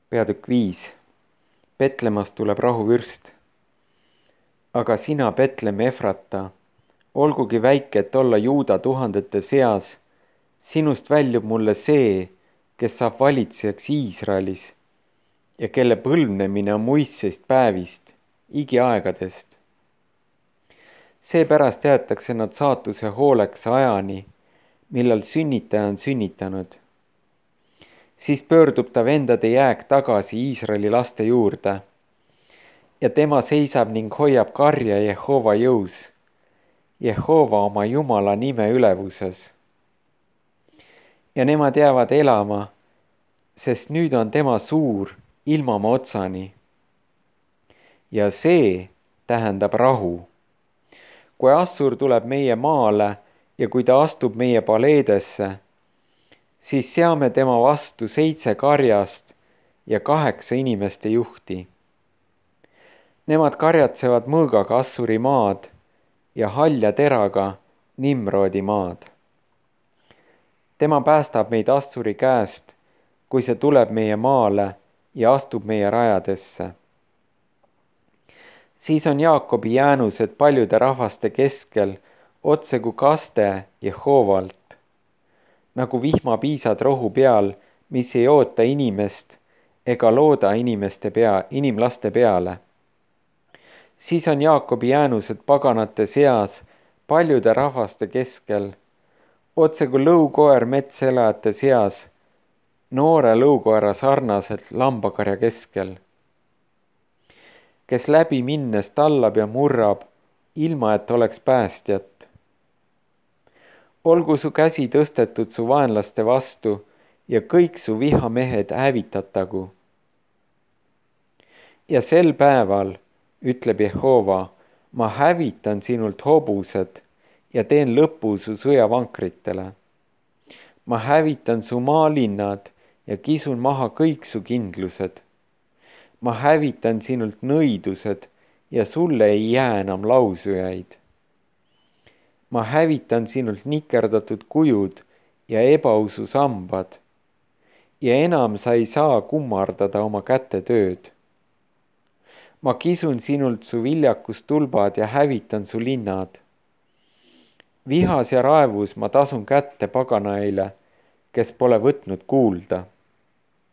Peatükk 5. Betlemmast tuleb rahuvürst. Aga sina, Betlemm Efrata, olgugi väike, et olla Juuda tuhandete seas, sinust väljub mulle see, kes saab valitsejaks Iisraelis ja kelle põlvnemine on muistseist päevist, igiaegadest. Seepärast jäetakse nad saatuse hooleks ajani, millal sünnitaja on sünnitanud. Siis pöördub ta vendade jääk tagasi Iisraeli laste juurde ja tema seisab ning hoiab karja Jehova jõus, Jehova oma Jumala nime ülevuses. Ja nemad jäävad elama, sest nüüd on tema suur ilmamaa otsani. Ja see tähendab rahu. Kui Assur tuleb meie maale ja kui ta astub meie paleedesse, siis seame tema vastu 7 karjast ja 8 inimeste juhti. Nemad karjatsevad mõõgaga Assuri maad ja halja teraga Nimrodi maad. Tema päästab meid Assuri käest, kui see tuleb meie maale ja astub meie rajadesse. Siis on Jaakobi jäänused paljude rahvaste keskel otse kui kaste Jehovalt, nagu vihmapiisad rohu peal, mis ei oota inimest ega looda inimlaste peale. Siis on Jaakobi jäänused paganate seas paljude rahvaste keskel, otse kui lõukoer metselajate seas, noore lõukoera sarnaselt lambakarja keskel, kes läbi minnes tallab ja murrab, ilma et oleks päästjat. Olgu su käsi tõstetud su vaenlaste vastu ja kõik su vihamehed hävitatagu. Ja sel päeval, ütleb Jehova, ma hävitan sinult hobused ja teen lõpu su sõjavankritele. Ma hävitan su maalinnad ja kisun maha kõik su kindlused. Ma hävitan sinult nõidused ja sulle ei jää enam lausujaid. Ma hävitan sinult nikerdatud kujud ja ebausu sambad ja enam sa ei saa kummardada oma käte tööd. Ma kisun sinult su viljakustulbad ja hävitan su linnad. Vihas ja raevus ma tasun kätte paganaile, kes pole võtnud kuulda.